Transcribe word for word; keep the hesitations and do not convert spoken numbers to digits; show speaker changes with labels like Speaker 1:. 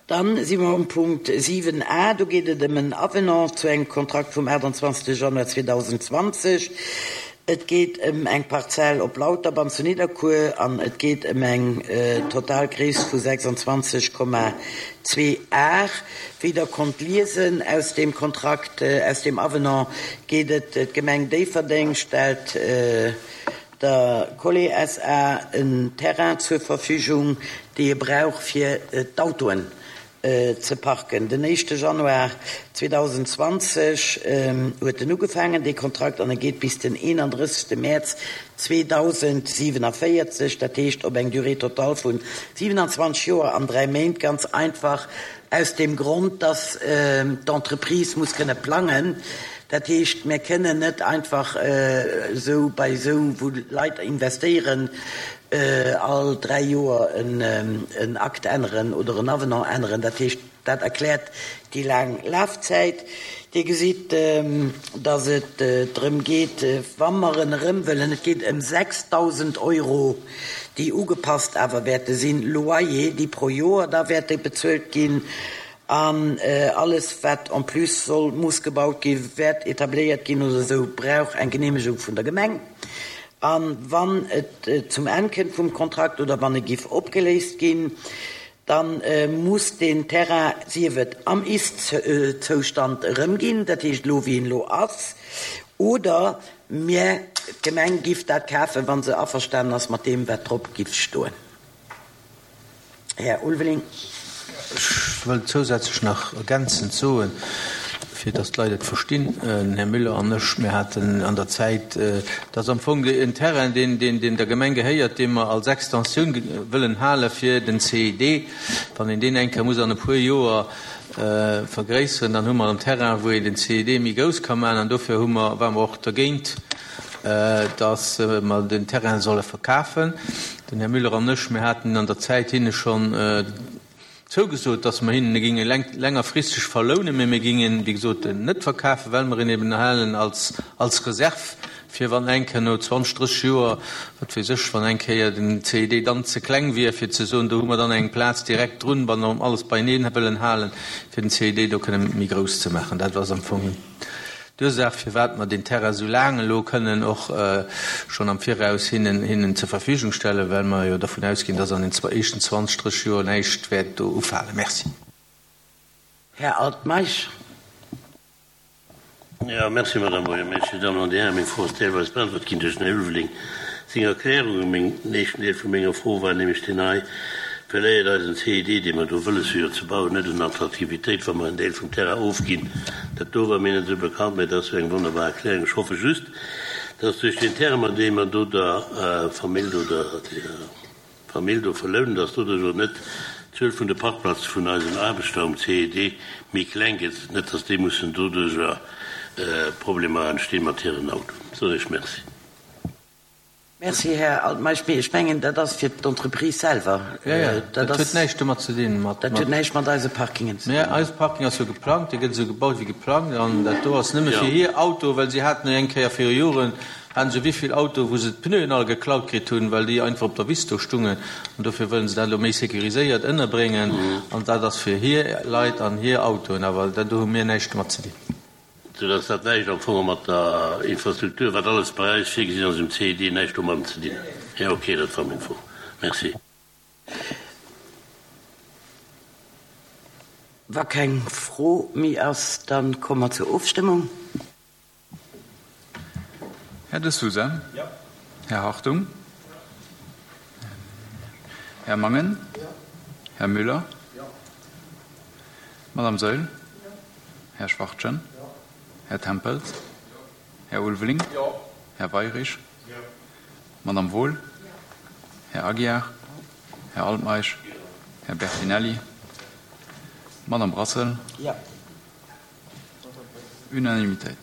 Speaker 1: Dann si mer um Punkt siwen a, do geet et ëm en Avenant zu engem Kontrakt vum achtundzwanzegste Januar zweedausendzwanzeg. Et geet ëm eng Parzell op Lauterbann zu Nidderkuer an et geet ëm eng total Gréisst vu sechsundzwanzeg Komma zwee Ar. Wéi Der konnt liesen aus deem Kontrakt, aus deem Avenant, geet et, d'Gemeng Déifferdeng stellt der Collé S A en Terrain zur Verfügung, dee e brauch fir d'Autoen ze parken. Den éischte Januar zweedausendzwanzeg huet en ugefaangen, dee Kontrakt, an e geet bis den eenandrëssegste Mäerz zweedausendsiewenavéierzeg, dat heescht op eng Durée totale vu siewenundzwanzeg Joer an dräi Méint, ganz einfach aus deem Grond, dass d'Entreprise muss kënne plangen. Dat heescht, mir kënnen net einfach esou bei esou, wou Leit investéieren, all dräi Joer en Akt änneren oder en Avenant änneren. Dat heescht, dat erkläert déi laang Lafzäit. Dir gesitt, dass et drëm geet, wa mer en erëm wëllen, et geet ëm sechsdausend Euro, déi ugepasst awer wäerte sinn, Loyer, déi pro Joer da wäerte bezuelt ginn. An alles, wat en plus soll, muss gebaut ginn, wäert etabléiert ginn oder esou, brauch eng Geneemegung vun der Gemeng. A wann et zum Enn kënnt vum Kontrakt oder wann e giff opgeléist ginn, da muss deen Terrain, sief et am Ist-Zoustand erëmginn, dat heescht elo wéi en elo ass, oder mir, d'Gemeng, giff dat kafen, wa se averstanen ass mat deem, wat drop giff stoen. Här Ulveling.
Speaker 2: Ech wëll zousätzlech nach ergänzend soen, fir datt d'Leit et verstinn, den Här Müller an ech, mir haten an der Zäit, dat ass am Fong en Terrain, deen, deen, deen der Gemeng gehéiert, dee mer als Extensioun wëllen hale fir den C I D. Wann een deen eng Kéier muss an e puer Joer vergréisseren, dann hu mer en Terrain, wou een den C I D méi grouss ka maachen. An dofir hu mer, ware mer och dergéint, datt mer den Terrain solle verkafen. Den Här Müller an ech, mir haten an der Zäit hinne schonn zougesot, datt mer hinnen e ginge längerfristeg verlounen, mä mir gingen, wéi gesot, en net verkafen, well mer en eben halen als, als Reserv, fir wann eng Kéier no zwanzeg, drësseg Joer, wat weess ech, wann eng Kéier den C I D dann ze kleng wier, fir ze soen, do hu mer dann eng Plaz direkt drun, wann mer alles beieneen wëllen halen, fir den C I D do kënne méi grouss ze maachen. Dat ass am Fong d'Ursaach, firwat mer deen Terrain esou laang elo kënnen och schonn am Viraus hinnen, hinnen zur Verfügung stellen, well mer jo dervun ausginn, dass an den éischten zwanzeg, drësseg Joer näischt wäert do ufalen. Merci.
Speaker 1: Här Altmeisch.
Speaker 3: Jo, merci, Madame Buergermeeschtesch. Dir Dammen an Dir Hären, meng Fro ass deelweis beantwort ginn duerch den Här Ulveling seng Erklärungen. Meng éischten Deel vu menger Fro war nämlech deen hei: Verléiert eisen C I D, dee mer do wëlles hu jo ze bauen, net un Attraktivitéit, wa mer en Deel vum Terrain ofginn? Dat do war mir net esou bekannt, mä dat ass jo eng wonnerbar Erklärung. Ech hoffe just, dass duerch deen Terrain, dee mer do der Famill do, der Famill do verlounen, dass doduerch och net d'Zuel vun de Parkplaze vun eisen Aarbechter um C I D méi kleng gëtt, net dass déi mussen doduercher Problemer entstinn mat hiren Autoen. Soen ech Merci.
Speaker 1: Merci, Här Altmeisch. Mee ech mengen, dat ass fir d'Entreprise selwer.
Speaker 2: Jo, jo, dat huet näischt domat ze dinn.
Speaker 1: Dat huet näischt mat eise Parkingen ze
Speaker 2: dinn. Mä eise Parking ass jo geplangt, dee gëtt esou gebaut wéi geplangt. An dat do ass nëmme fir hir Auto, well si haten eng Kéier viru Joren, haten se wéi vill Auto, wou se d'Pneuen all geklaut kritt hunn, well déi einfach op der Wiss do stungen. An dofir wëllen se dat elo méi sécuriséiert ënnerbréngen. An dat ass fir hir Leit an hir Autoen. Awer dat do hu mir näischt domat ze dinn.
Speaker 3: Soudass dat näischt am Fong mat der Infrastruktur, wat alles bei eis virgesinn ass um C I D, näischt domadden ze dinn huet. Jo, okay, dat war meng Fro. Merci.
Speaker 1: Wa keng Fro méi ass, da komme mer zur Ofstëmmung.
Speaker 4: Här De Sousa?
Speaker 5: Jo.
Speaker 4: Här Hartung? Här Mangen?
Speaker 5: Jo.
Speaker 4: Här Müller?
Speaker 5: Jo.
Speaker 4: Madame Saeul?
Speaker 5: Jo.
Speaker 4: Här Schwachtgen?
Speaker 5: Jo.
Speaker 4: Här Tempels? Här Ulveling?
Speaker 5: Jo.
Speaker 4: Här Weirich?
Speaker 5: Jo.
Speaker 4: Madame Wohl?
Speaker 5: Jo.
Speaker 4: Här Aguiar? Här Altmeisch? Här Bertinelli? Madame Brassel?
Speaker 1: Jo.
Speaker 4: Unanimitéit.